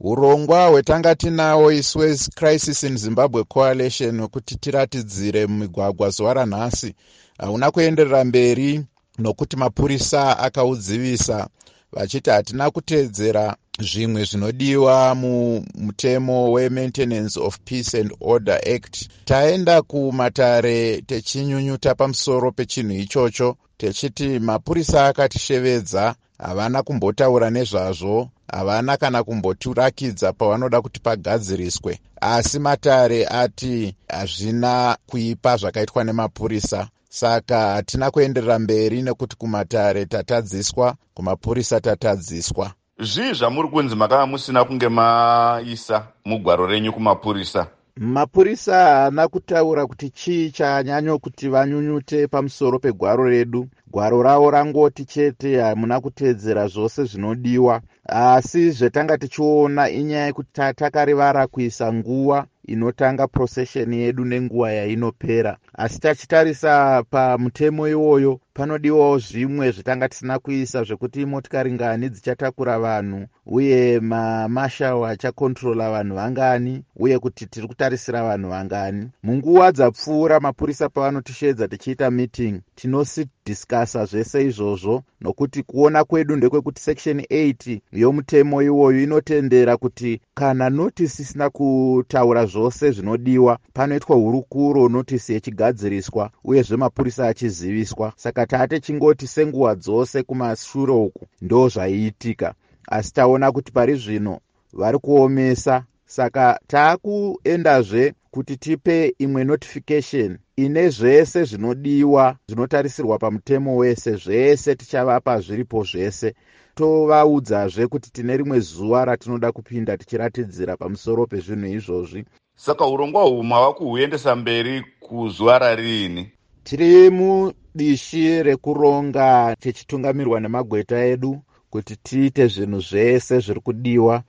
Urongwa hwetanga tinawo isu weCrisis in Zimbabwe Coalition wekuti tiratidzire mumigwagwa zuva ranhasi hauna kuenderera mberi nokuti mapurisa akaudzivisa vachiti hatina kuteedzera zvimwe zvinodiwa mumutemo weMaintenance of Peace and Order Act. Taenda kumatare techinyunyuta pamusoro pechinhu ichocho, techiti mapurisa akatishevedza havana kumbotaura nezvazvo, havana kana kumbotirakidza pavanoda kuti pagadziriswe, asi matare ati hazvina kuipa zvakaitwa nemapurisa. Saka hatina kuenderera mberi nekuti kumatare tatadziswa, kumapurisa tatadziswa. Zvii zvamuri kunzi makanga musina kunge maisa mugwaro renyu kumapurisa? Mapurisa haana kutaura kuti chii chanyanya kuti vanyunyute pamusoro pegwaro redu. Gwaro ravo rangoti chete hamuna kuteedzera zvose zvinodiwa, asi zvetanga tichiona inyaya yekuti takarivara kuisa nguva inotanga procession yedu nenguva yainopera. Asi tachitarisa pamutemo iwoyo, panodiwawo zvimwe zvetanga tisina kuisa, zvekuti motikari ngani dzichatakura vanhu, uye mamarshal achakontrola vanhu vangani, uye kuti tiri kutarisira vanhu vangani. Munguva dzapfuura, mapurisa pavanotishedza tichiita meeting, tinosidiscussa zvese izvozvo, nokuti kuona kwedu ndekwekuti section 8 yomutemo iwoyo inotendera kuti kana notisi isina kutaura zvose zvinodiwa, panoitwa hurukuro, notisi yechigadziriswa, uyezve mapurisa achiziviswa. Saka taatechingoti senguva dzose kumashure uku ndo zvaiitika, asi taona kuti pari zvino vari kuomesa. Saka taakuendazve kuti tipe imwe notification ine zvese zvinodiwa zvinotarisirwa pamutemo wese. Zvese tichavapa zviripo zvese, tovaudzazve kuti tine rimwe zuva ratinoda kupinda tichiratidzira pamusoro pezvinhu izvozvi. Saka urongwa uhu mava kuhuendesa mberi kuzuva rariini? Tiri mubishi rekuronga tichitungamirwa nemagweta edu kuti tiite zvinhu zvese zviri kudiwa.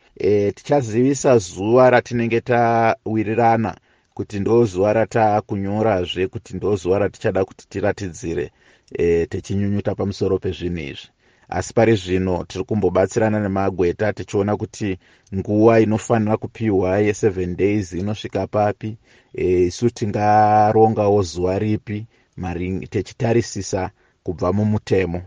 Tichazivisa zuva ratinenge tawirirana kuti ndo zuva rataakunyorazve kuti ndo zuva ratichada kuti tiratidzire tichinyunyuta pamusoro pezvinhu izvi. Asi pari zvino tiri kumbobatsirana nemagweta tichiona kuti nguva inofanira kupiwa ye7 days inosvika papi, isu tingarongawo zuva ripi, tichitarisisa kubva mumutemo.